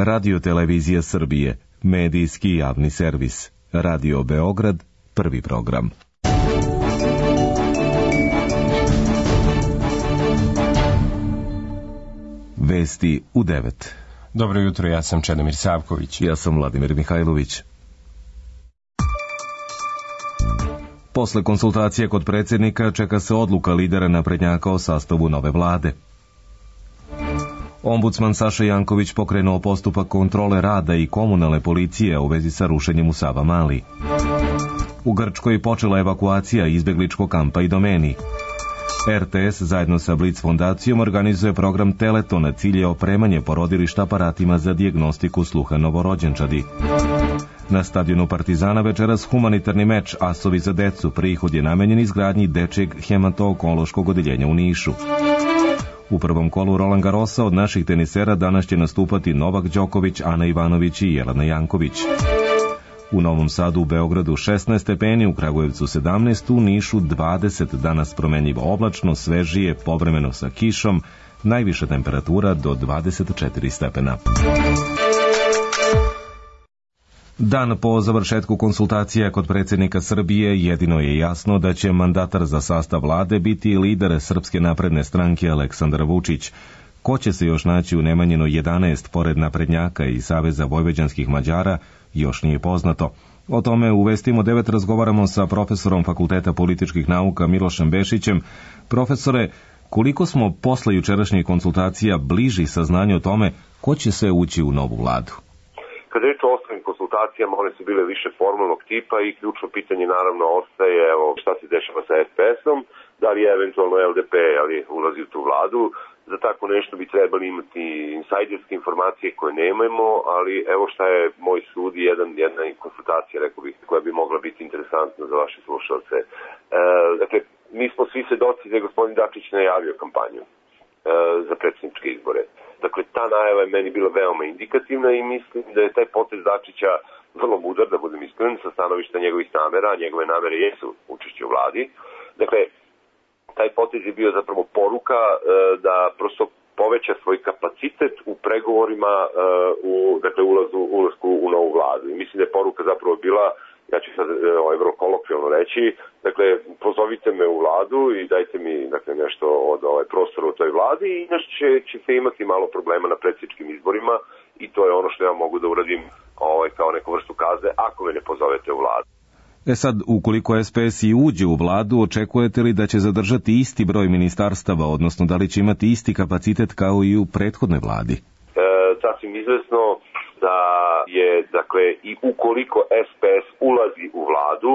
Radio-televizija Srbije, medijski javni servis. Radio Beograd, prvi program. Vesti u 9. Dobro jutro, ja sam Čedomir Savković. Ja sam Vladimir Mihajlović. Posle konsultacije kod predsjednika čeka se odluka lidera naprednjaka o sastavu nove vlade. Ombudsman Saša Janković pokrenuo postupak kontrole rada i komunalne policije u vezi sa rušenjem u Savamali. U Grčkoj počela evakuacija izbegličkog kampa i domeni. RTS zajedno sa Blic fondacijom organizuje program Teletona, cilj je opremanje porodilišta aparatima za dijagnostiku sluha novorođenčadi. Na stadionu Partizana večeras humanitarni meč Asovi za decu, prihod je namenjen izgradnji dečjeg hemato-onkološkog odeljenja u Nišu. U prvom kolu Roland Garrosa od naših tenisera danas će nastupati Novak Đoković, Ana Ivanović i Jelena Janković. U Novom Sadu, u Beogradu 16 stepeni, u Kragujevcu 17, u Nišu 20, danas promenljivo oblačno, svežije, povremeno sa kišom, najviša temperatura do 24 stepena. Dan po završetku konsultacija kod predsjednika Srbije jedino je jasno da će mandatar za sastav vlade biti lider Srpske napredne stranke Aleksandar Vučić. Ko će se još naći u Nemanjinoj 11 pored naprednjaka i Saveza vojvođanskih Mađara još nije poznato. O tome u Vestima 9 razgovaramo sa profesorom Fakulteta političkih nauka Milošem Bešićem. Profesore, koliko smo posle jučerašnjih konsultacija bliži saznanju o tome ko će sve ući u novu vladu? Kad je reč o ostalim konsultacijama, one su bile više formalnog tipa i ključno pitanje naravno ostaje šta se dešava sa SPS-om, da li je eventualno LDP ulazi u tu vladu. Za tako nešto bi trebali imati insajderske informacije koje nemamo, ali evo šta je moj sud i jedna konsultacija, rekao bih, koja bi mogla biti interesantna za vaše slušalce. Dakle, mi smo svi svedoci da je gospodin Dačić najavio kampanju za predsjedničke izbore. Dakle, ta najava je meni bila veoma indikativna i mislim da je taj potez Dačića vrlo mudar, da budem iskren, sa stanovišta njegovih namera, a njegove namere jesu učešće u vladi. Dakle, taj potez je bio zapravo poruka da prosto poveća svoj kapacitet u pregovorima ulasku u novu vladu. I mislim da je poruka zapravo bila, ja ću sad vrlo kolokvijalno reći, dakle, pozovite me u vladu i dajte mi nešto od prostora u toj vladi i inače ćete imati malo problema na predsjedničkim izborima i to je ono što ja mogu da uradim kao neku vrstu kazne ako me ne pozovete u vladu. Sad, ukoliko SPS i uđe u vladu, očekujete li da će zadržati isti broj ministarstava, odnosno da li će imati isti kapacitet kao i u prethodnoj vladi? Sasvim izvesno da je, dakle, i ukoliko SPS ulazi u vladu,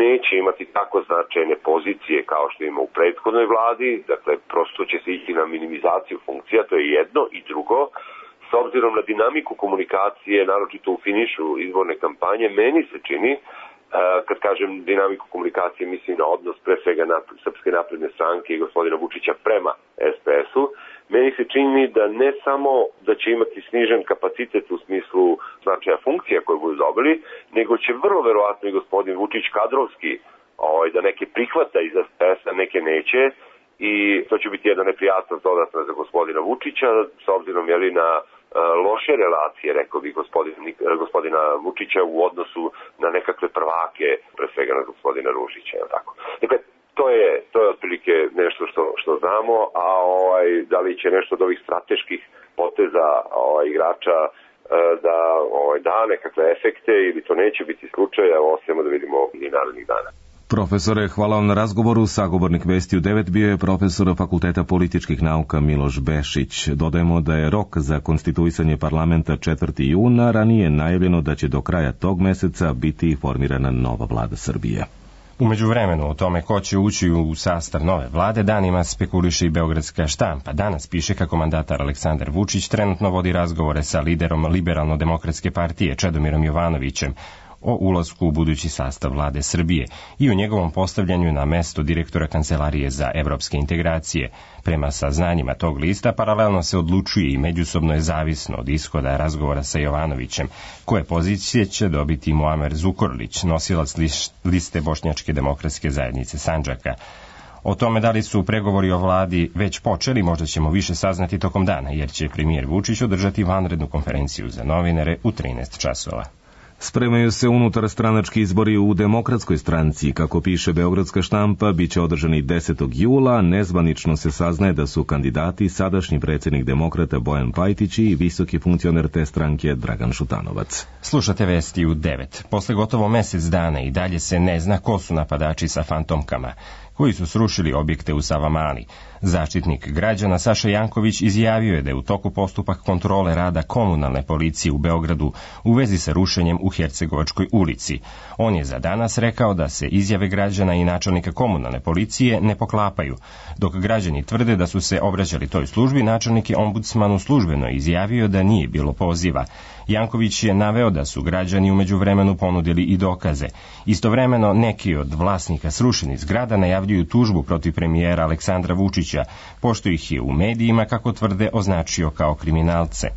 neće imati tako značajne pozicije kao što ima u prethodnoj vladi, dakle, prosto će se ići na minimizaciju funkcija, to je jedno, i drugo, s obzirom na dinamiku komunikacije, naročito u finišu izborne kampanje, meni se čini, kad kažem dinamiku komunikacije, mislim na odnos pre svega Srpske napredne stranke i gospodina Vučića prema SPS-u, meni se čini da ne samo da će imati snižen kapacitet u smislu značaja funkcija koje budu dobili, nego će vrlo verovatno i gospodin Vučić kadrovski da neke prihvata iz SPS-a, neke neće, i to će biti jedna neprijatnost dodatna za gospodina Vučića, s obzirom na loše relacije, rekao bih, gospodina Vučića u odnosu na nekakve prvake, pre svega na gospodina Ružića, tako. Dakle, to je otprilike nešto što znamo, a da li će nešto od ovih strateških poteza igrača da nekakve efekte ili to neće biti slučaj, ostajemo da vidimo i narednih dana. Profesore, hvala vam na razgovoru. Sagovornik Vesti u 9 bio je profesor Fakulteta političkih nauka Miloš Bešić. Dodajemo da je rok za konstituisanje parlamenta 4. juna, ranije najavljeno da će do kraja tog meseca biti formirana nova vlada Srbije. U međuvremenu o tome ko će ući u sastav nove vlade danima spekuliše i beogradska štampa. Danas piše kako mandatar Aleksandar Vučić trenutno vodi razgovore sa liderom Liberalno-demokratske partije Čedomirom Jovanovićem o ulasku u budući sastav vlade Srbije i o njegovom postavljanju na mesto direktora Kancelarije za evropske integracije. Prema saznanjima tog lista, paralelno se odlučuje i međusobno je zavisno od ishoda razgovora sa Jovanovićem, koje pozicije će dobiti Muamer Zukorlić, nosilac liste Bošnjačke demokratske zajednice Sandžaka. O tome da li su pregovori o vladi već počeli, možda ćemo više saznati tokom dana, jer će premijer Vučić održati vanrednu konferenciju za novinare u 13 časova. Spremaju se unutar stranački izbori u Demokratskoj stranci. Kako piše Beogradska štampa, bit će održani 10. jula. Nezvanično se saznaje da su kandidati sadašnji predsjednik Demokrata Bojan Pajtić i visoki funkcioner te stranke Dragan Šutanovac. Slušate vesti u 9. Posle gotovo mesec dana i dalje se ne zna ko su napadači sa fantomkama koji su srušili objekte u Savamali. Zaštitnik građana Saša Janković izjavio je da je u toku postupak kontrole rada komunalne policije u Beogradu u vezi sa rušenjem u Hercegovačkoj ulici. On je za danas rekao da se izjave građana i načelnika komunalne policije ne poklapaju. Dok građani tvrde da su se obraćali toj službi, načelnik je ombudsmanu službeno izjavio da nije bilo poziva. Janković je naveo da su građani u međuvremenu ponudili i dokaze. Istovremeno neki od vlasnika srušenih zgrada najavljuju tužbu protiv premijera Aleksandra Vučića, pošto ih je u medijima, kako tvrde, označio kao kriminalce.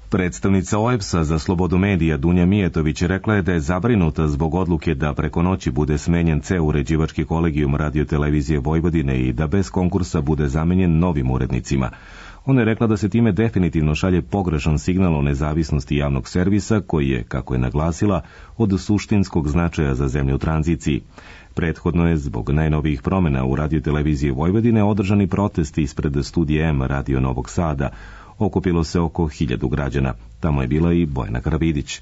Predstavnica OEBS-a za slobodu medija Dunja Mijetović rekla je da je zabrinuta zbog odluke da preko noći bude smenjen ceo uređivački kolegijum Radio-televizije Vojvodine i da bez konkursa bude zamenjen novim urednicima. Ona je rekla da se time definitivno šalje pogrešan signal o nezavisnosti javnog servisa, koji je, kako je naglasila, od suštinskog značaja za zemlju u tranziciji. Prethodno je, zbog najnovijih promjena u Radio-televiziji Vojvodine, održani protesti ispred studija M Radio Novog Sada. Okupilo se oko 1000 građana. Tamo je bila i Bojana Karavidić.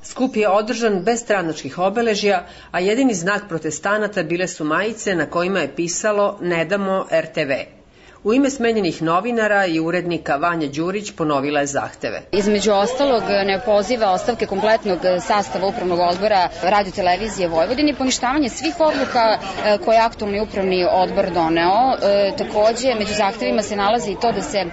Skup je održan bez stranačkih obeležja, a jedini znak protestanata bile su majice na kojima je pisalo "Ne damo RTV". U ime smenjenih novinara i urednika Vanja Đurić ponovila je zahteve. Između ostalog ne poziva ostavke kompletnog sastava upravnog odbora Radio-televizije Vojvodine i poništavanje svih odluka koje je aktualni upravni odbor doneo. Takođe, među zahtevima se nalazi i to da se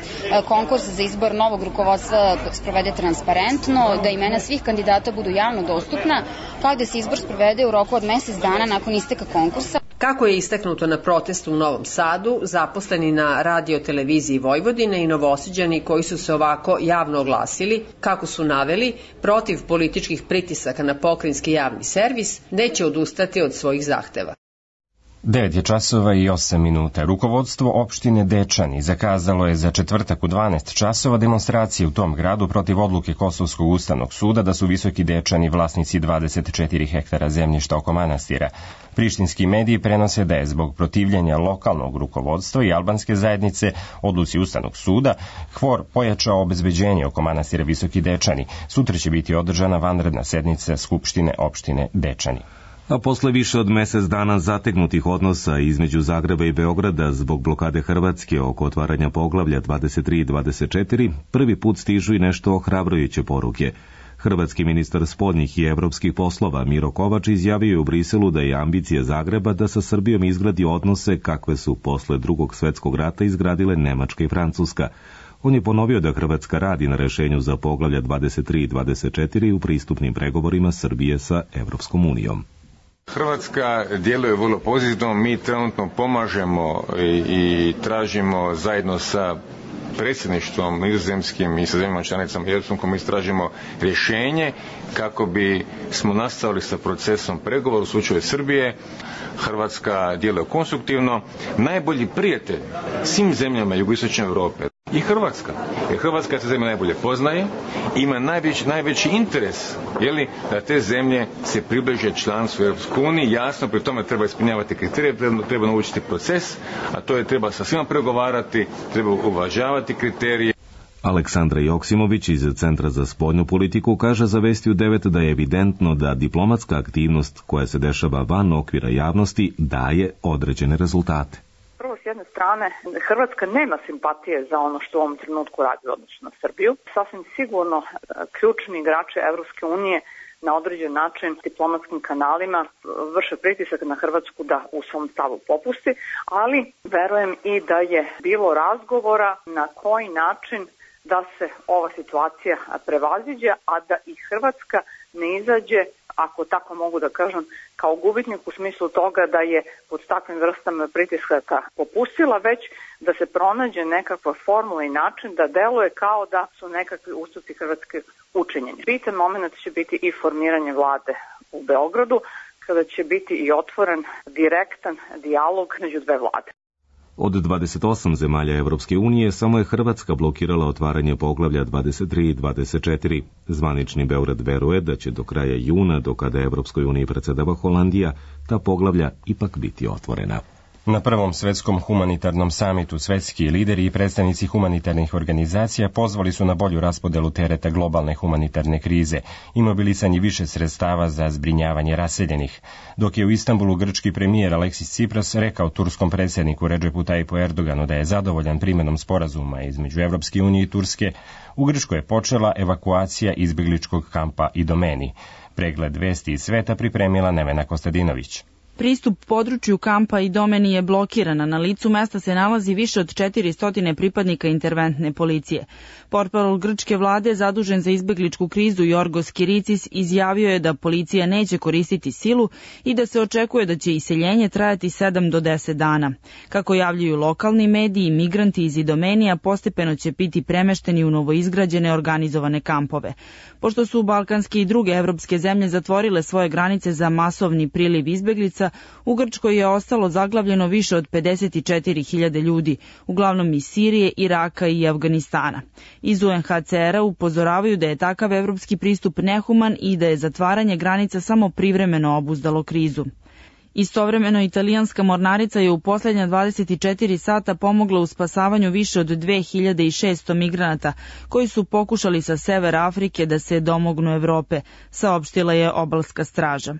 konkurs za izbor novog rukovodstva sprovede transparentno, da imena svih kandidata budu javno dostupna, kao da se izbor sprovede u roku od mesec dana nakon isteka konkursa. Kako je istaknuto na protestu u Novom Sadu, zaposleni na Radio-televiziji Vojvodine i Novosađani koji su se ovako javno oglasili, kako su naveli, protiv političkih pritisaka na pokrajinski javni servis, neće odustati od svojih zahteva. 9 časova i 8 minuta. Rukovodstvo opštine Dečani zakazalo je za četvrtak u 12 časova demonstracije u tom gradu protiv odluke Kosovskog ustavnog suda da su Visoki Dečani vlasnici 24 hektara zemljišta oko manastira. Prištinski mediji prenose da je zbog protivljenja lokalnog rukovodstva i albanske zajednice odluci Ustavnog suda Hvor pojačao obezbeđenje oko manastira Visoki Dečani. Sutra će biti održana vanredna sednica Skupštine opštine Dečani. A posle više od mesec dana zategnutih odnosa između Zagreba i Beograda zbog blokade Hrvatske oko otvaranja poglavlja 23 i 24, prvi put stižu i nešto ohrabrujuće poruke. Hrvatski ministar spoljnih i evropskih poslova Miro Kovač izjavio je u Briselu da je ambicija Zagreba da sa Srbijom izgradi odnose kakve su posle Drugog svetskog rata izgradile Nemačka i Francuska. On je ponovio da Hrvatska radi na rešenju za poglavlja 23 i 24 u pristupnim pregovorima Srbije sa Evropskom unijom. Hrvatska djeluje vrlo pozitivno, mi trenutno pomažemo i tražimo zajedno sa predsjedništvom nizozemskim i sa zemljama članicama Europskom komisijom tražimo rješenje kako bi smo nastavili sa procesom pregovora u slučaju Srbije. Hrvatska djeluje konstruktivno, najbolji prijatelj svim zemljama jugoistočne Europe i Hrvatska. Jer Hrvatska se zemlja najbolje poznaje, ima najveći interes da te zemlje se približe članstvu Europskoj uniji. Jasno, pri tome treba ispunjavati kriterije, treba naučiti proces, a to je treba sa svima pregovarati, treba uvažavati kriterije. Aleksandra Joksimović iz Centra za spoljnu politiku kaže za Vesti u 9 da je evidentno da diplomatska aktivnost koja se dešava van okvira javnosti daje određene rezultate. Prvo, s jedne strane, Hrvatska nema simpatije za ono što u ovom trenutku radi u odnosu na Srbiju. Sasvim sigurno ključni igrači Evropske unije na određen način diplomatskim kanalima vrše pritisak na Hrvatsku da u svom stavu popusti, ali verujem i da je bilo razgovora na koji način da se ova situacija prevaziđe, a da i Hrvatska ne izađe, ako tako mogu da kažem, kao gubitnik u smislu toga da je pod takvim vrstama pritiskaka popustila, već da se pronađe nekakva formula i način da deluje kao da su nekakvi ustupci Hrvatske učinjeni. Bitan moment će biti i formiranje vlade u Beogradu. kada će biti i otvoren direktan dijalog među dve vlade. Od 28 zemalja Evropske unije samo je Hrvatska blokirala otvaranje poglavlja 23 i 24. Zvanični Beograd veruje da će do kraja juna, do kada Evropskoj uniji predsedava Holandija, ta poglavlja ipak biti otvorena. Na prvom svetskom humanitarnom samitu svetski lideri i predstavnici humanitarnih organizacija pozvali su na bolju raspodelu tereta globalne humanitarne krize i mobilisanje više sredstava za zbrinjavanje raseljenih. Dok je u Istanbulu grčki premijer Aleksis Tsipras rekao turskom predsjedniku Redžepu Tajipu Erdoganu da je zadovoljan primenom sporazuma između Evropske unije i Turske, u Grčkoj je počela evakuacija izbjegličkog kampa Idomeni. Pregled vesti iz sveta pripremila Nevena Kostadinović. Pristup području kampa Idomeni je blokiran, na licu mesta se nalazi više od 400 pripadnika interventne policije. Portparol grčke vlade zadužen za izbegličku krizu Jorgos Kiricis izjavio je da policija neće koristiti silu i da se očekuje da će iseljenje trajati 7 do 10 dana. Kako javljaju lokalni mediji, migranti iz Idomenija postepeno će biti premešteni u novoizgrađene organizovane kampove. Pošto su balkanske i druge evropske zemlje zatvorile svoje granice za masovni priliv izbeglica, u Grčkoj je ostalo zaglavljeno više od 54.000 ljudi, uglavnom iz Sirije, Iraka i Afganistana. Iz UNHCR-a upozoravaju da je takav evropski pristup nehuman i da je zatvaranje granica samo privremeno obuzdalo krizu. Istovremeno, italijanska mornarica je u posljednja 24 sata pomogla u spasavanju više od 2600 migranata koji su pokušali sa severa Afrike da se domognu Evrope, saopštila je obalska straža.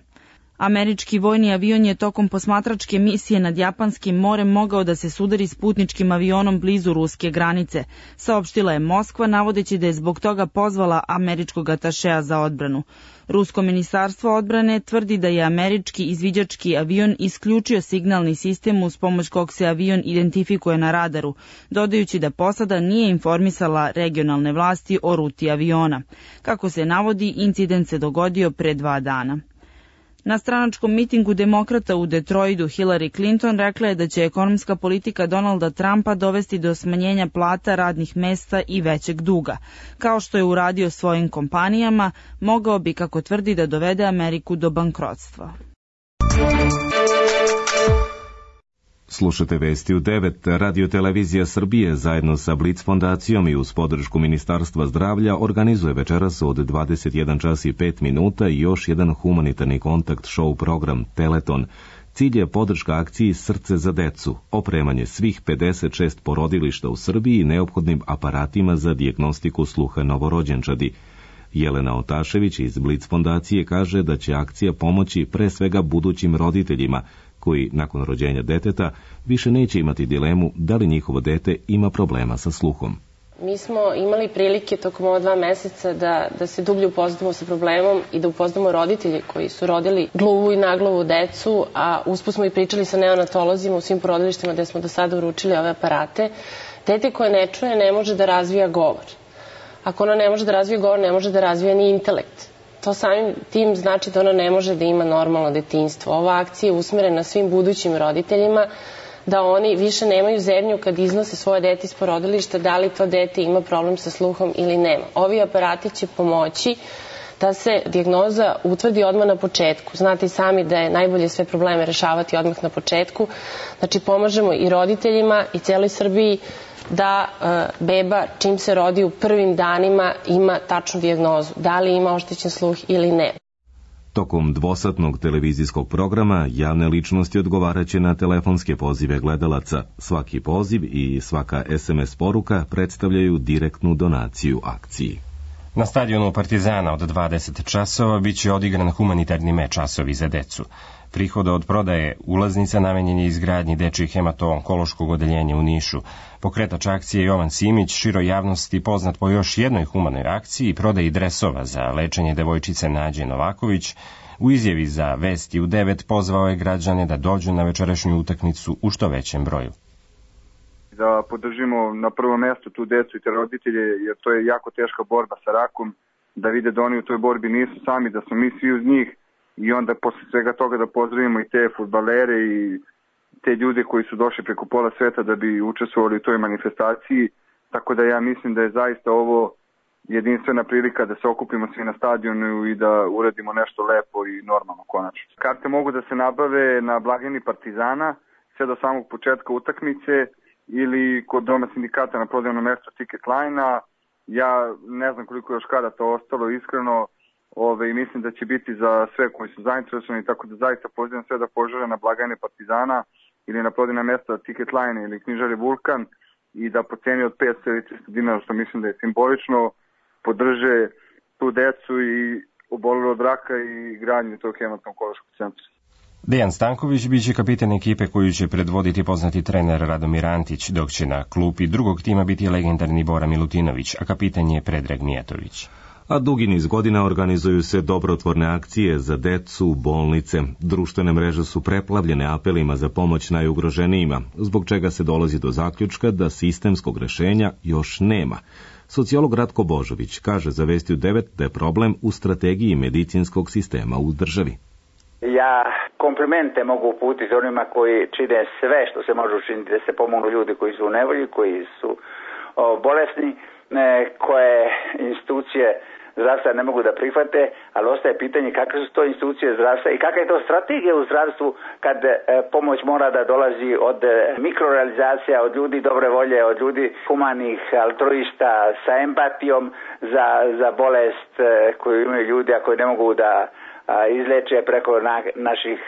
Američki vojni avion je tokom posmatračke misije nad Japanskim morem mogao da se sudari s putničkim avionom blizu ruske granice, saopštila je Moskva, navodeći da je zbog toga pozvala američkog atašea za odbranu. Rusko ministarstvo odbrane tvrdi da je američki izviđački avion isključio signalni sistem uz pomoć kog se avion identifikuje na radaru, dodajući da posada nije informisala regionalne vlasti o ruti aviona. Kako se navodi, incident se dogodio pre 2 dana. Na stranačkom mitingu demokrata u Detroitu Hillary Clinton rekla je da će ekonomska politika Donalda Trumpa dovesti do smanjenja plata, radnih mesta i većeg duga. Kao što je uradio svojim kompanijama, mogao bi, kako tvrdi, da dovede Ameriku do bankrotstva. Slušate vesti u 9. Radio-televizija Srbije zajedno sa Blic fondacijom i uz podršku Ministarstva zdravlja organizuje večeras od 21 čas i 5 minuta i još jedan humanitarni kontakt show program Teleton. Cilj je podrška akciji Srce za decu, opremanje svih 56 porodilišta u Srbiji neophodnim aparatima za dijagnostiku sluha novorođenčadi. Jelena Otašević iz Blic fondacije kaže da će akcija pomoći pre svega budućim roditeljima, koji nakon rođenja deteta više neće imati dilemu da li njihovo dete ima problema sa sluhom. Mi smo imali prilike tokom ova 2 meseca da se dublje upoznamo sa problemom i da upoznamo roditelje koji su rodili gluvu i naglavu decu, a usput smo i pričali sa neonatolozima u svim porodilištima gde smo do sada uručili ove aparate. Dete koje ne čuje ne može da razvija govor. Ako ono ne može da razvija govor, ne može da razvija ni intelekt. To samim tim znači da ono ne može da ima normalno detinjstvo. Ova akcija je usmerena svim budućim roditeljima da oni više nemaju zebnju kad iznose svoje dete iz porodilišta, da li to dete ima problem sa sluhom ili nema. Ovi aparati će pomoći da se dijagnoza utvrdi odmah na početku. Znate i sami da je najbolje sve probleme rešavati odmah na početku. Znači pomažemo i roditeljima i celoj Srbiji da beba čim se rodi u prvim danima ima tačnu dijagnozu, da li ima oštećen sluh ili ne. Tokom dvosatnog televizijskog programa javne ličnosti odgovaraće na telefonske pozive gledalaca. Svaki poziv i svaka SMS poruka predstavljaju direktnu donaciju akciji. Na stadionu Partizana od 20 časova biće odigran humanitarni meč Asovi za decu. Prihoda od prodaje ulaznica namenjen je izgradnji dečjih hemato-onkološkog odeljenja u Nišu. Pokretač akcije Jovan Simić, široj javnosti poznat po još jednoj humanoj akciji, prodaji dresova za lečenje devojčice Nađe Novaković, u izjavi za Vesti u 9 pozvao je građane da dođu na večerašnju utakmicu u što većem broju. Da podržimo na prvo mesto tu decu i te roditelje, jer to je jako teška borba sa rakom, da vide da oni u toj borbi nisu sami, da smo mi svi uz njih. I onda posle svega toga da pozdravimo i te fudbalere i te ljude koji su došli preko pola sveta da bi učestvovali u toj manifestaciji. Tako da ja mislim da je zaista ovo jedinstvena prilika da se okupimo svi na stadionu i da uradimo nešto lepo i normalno konačno. Karte mogu da se nabave na blagajni Partizana sve do samog početka utakmice ili kod Doma sindikata na prodajnom mestu Ticket Line-a. Ja ne znam koliko još kada to ostalo iskreno, i mislim da će biti za sve koji su zainteresovani, tako da zaista pozivam sve da požele na blagajne Partizana ili na prodajna mesta Ticket Line ili knjižari Vulkan i da po ceni od 500 ili 300 dinara, što mislim da je simbolično, podrže tu decu i obolelu od raka i gradnju tog hematno-onkološkog centra. Dejan Stanković biće kapitan ekipe koju će predvoditi poznati trener Radomir Antić, dok će na klupi drugog tima biti legendarni Bora Milutinović, a kapitan je Predrag Mijatović. A dugi niz godina organizuju se dobrotvorne akcije za decu, bolnice. Društvene mreže su preplavljene apelima za pomoć najugroženijima, zbog čega se dolazi do zaključka da sistemskog rešenja još nema. Sociolog Ratko Božović kaže za Vesti u 9 da je problem u strategiji medicinskog sistema u državi. Ja komplimente mogu uputiti onima koji čine sve što se može učiniti da se pomognu ljudi koji su u nevolji, koji su bolesni, koje institucije zdravstva ne mogu da prihvate, ali ostaje pitanje kakve su to institucije zdravstva i kakva je to strategija u zdravstvu kad pomoć mora da dolazi od mikrorealizacija, od ljudi dobre volje, od ljudi humanih altruista sa empatijom za bolest koju imaju ljudi, a koji ne mogu da izleče preko naših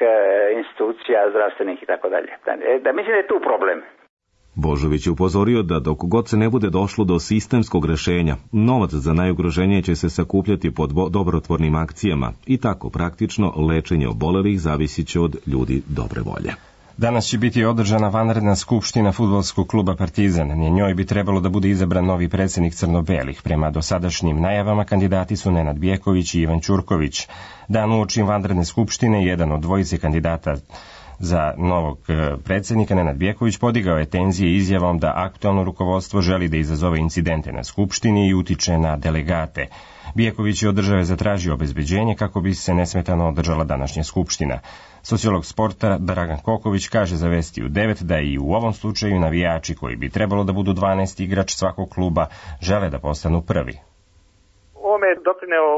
institucija zdravstvenih i tako dalje. Da mislim da je tu problem. Božović je upozorio da dok god se ne bude došlo do sistemskog rešenja, novac za najugroženije će se sakupljati pod dobrotvornim akcijama i tako praktično lečenje obolelih zavisit će od ljudi dobre volje. Danas će biti održana vanredna skupština fudbalskog kluba Partizan. Na njoj bi trebalo da bude izabran novi predsjednik crno-belih. Prema dosadašnjim najavama kandidati su Nenad Bjeković i Ivan Ćurković. Dan uoči vanredne skupštine jedan od dvojice kandidata za novog predsjednika, Nenad Bjeković, podigao je tenzije izjavom da aktualno rukovodstvo želi da izazove incidente na skupštini i utiče na delegate. Bjeković je od države zatražio obezbeđenje kako bi se nesmetano održala današnja skupština. Sociolog sporta Dragan Koković kaže za Vesti u 9 da i u ovom slučaju navijači koji bi trebalo da budu 12 igrač svakog kluba žele da postanu prvi. Ovome je doprineo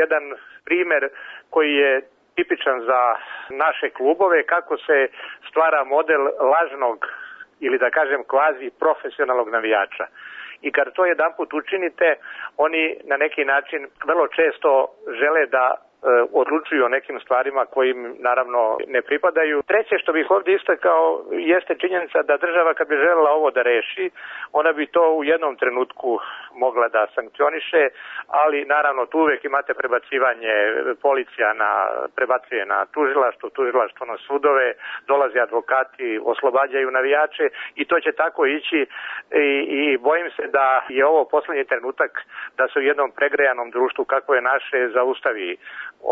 jedan primer koji je tipičan za naše klubove, kako se stvara model lažnog ili da kažem kvazi profesionalnog navijača. I kad to jedanput učinite, oni na neki način vrlo često žele da odlučuju o nekim stvarima koji im naravno ne pripadaju. Treće što bih ovdje istakao jeste činjenica da država kad bi želela ovo da reši, ona bi to u jednom trenutku mogla da sankcioniše, ali naravno tu uvijek imate prebacivanje, policija prebacuje na tužilaštvo na sudove, dolaze advokati, oslobađaju navijače i to će tako ići i bojim se da je ovo posljednji trenutak da se u jednom pregrejanom društvu kako je naše zaustavi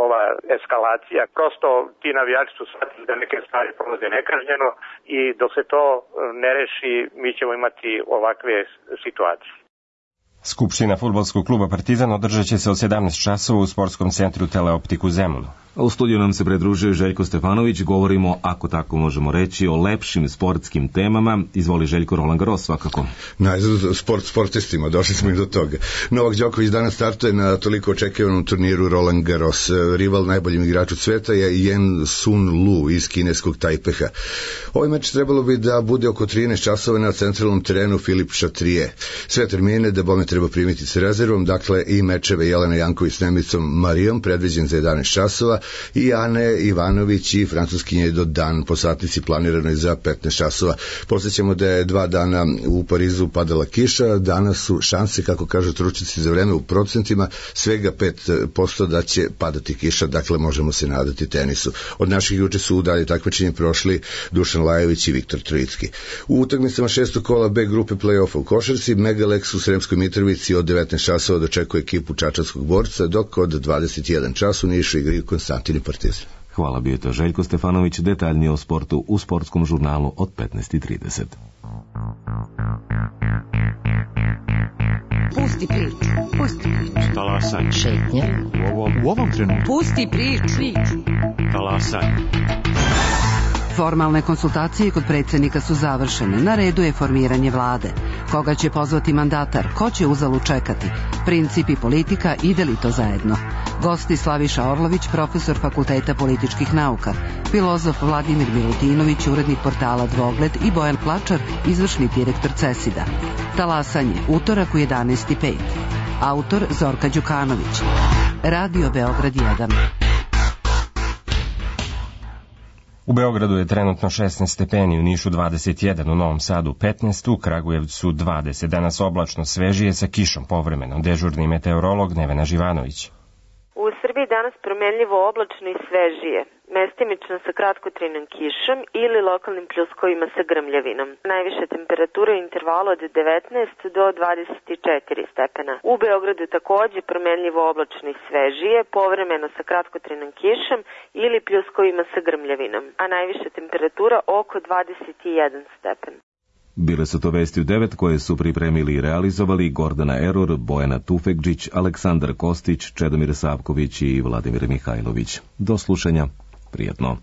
ova eskalacija. Prosto ti navijači su shvatili da neke stvari prolaze nekažnjeno i dok se to ne reši mi ćemo imati ovakve situacije. Skupština fudbalskog kluba Partizan održat će se od 17 časova u sportskom centru Teleoptik u Zemunu. A u studiju nam se pridružio Željko Stefanović, govorimo, ako tako možemo reći, o lepšim sportskim temama. Izvoli Željko, Roland Garros svakako. Najzad sportistima, došli smo i do toga. Novak Đoković danas startuje na toliko očekivanom turniru Roland Garros. Rival najboljim igraču sveta je Yen Sun Lu iz kineskog Tajpeha. Ovaj meč trebalo bi da bude oko 13 časova na centralnom terenu Filip Chatrier. Sve termine da bome treba primiti s rezervom, dakle i mečeve Jelena Janković s Nemicom Marijom predviđen za 11 časova i Ane Ivanović i francuskinje do dan po satnici planiranoj za 15 časova. Posjećamo da je 2 dana u Parizu padala kiša, danas su šanse, kako kažu stručnjaci za vreme u procentima, svega 5% da će padati kiša, dakle možemo se nadati tenisu. Od naših juče su u dalje takmičenje prošli Dušan Lajović i Viktor Trojicki. U utakmicama 6. kola B grupe play-offa u košarci, Megalex u Sremskoj Mitrovici od 19 časova dočekuje ekipu čačanskog Borca, dok od 21 času u Nišu igraju Konstantin i Partizan. Hvala, bio je to Željko Stefanović, detaljnije o sportu u sportskom žurnalu od 15:30. Pusti priču. Talasaj. Šetnja. U ovom trenutku. Pusti priču. Talasaj. Formalne konsultacije kod predsjednika su završene. Na redu je formiranje vlade. Koga će pozvati mandatar? Ko će uzalud čekati? Princip i politika, ide li to zajedno? Gosti Slaviša Orlović, profesor Fakulteta političkih nauka, filozof Vladimir Milutinović, urednik portala Dvogled i Bojan Plačar, izvršni direktor CESID-a. Talasanje, utorak u 11:05. Autor Zorka Đukanović. Radio Beograd 1. U Beogradu je trenutno 16 stepeni, u Nišu 21, u Novom Sadu 15, u Kragujevcu 20. Danas oblačno, svežije sa kišom povremeno. Dežurni meteorolog Nevena Živanović. U Srbiji danas promenljivo oblačno i svežije, mestimično sa kratkotrajnom kišom ili lokalnim pljuskovima sa grmljavinom. Najviša temperatura je intervalu od 19 do 24 stepena. U Beogradu takođe promenljivo oblačno i svežije, povremeno sa kratkotrajnom kišom ili pljuskovima sa grmljavinom, a najviša temperatura oko 21 stepen. Bile su to vesti u 9 koje su pripremili i realizovali Gordana Eror, Bojana Tufekđić, Aleksandar Kostić, Čedomir Savković i Vladimir Mihajlović. Do slušanja. Prijatno.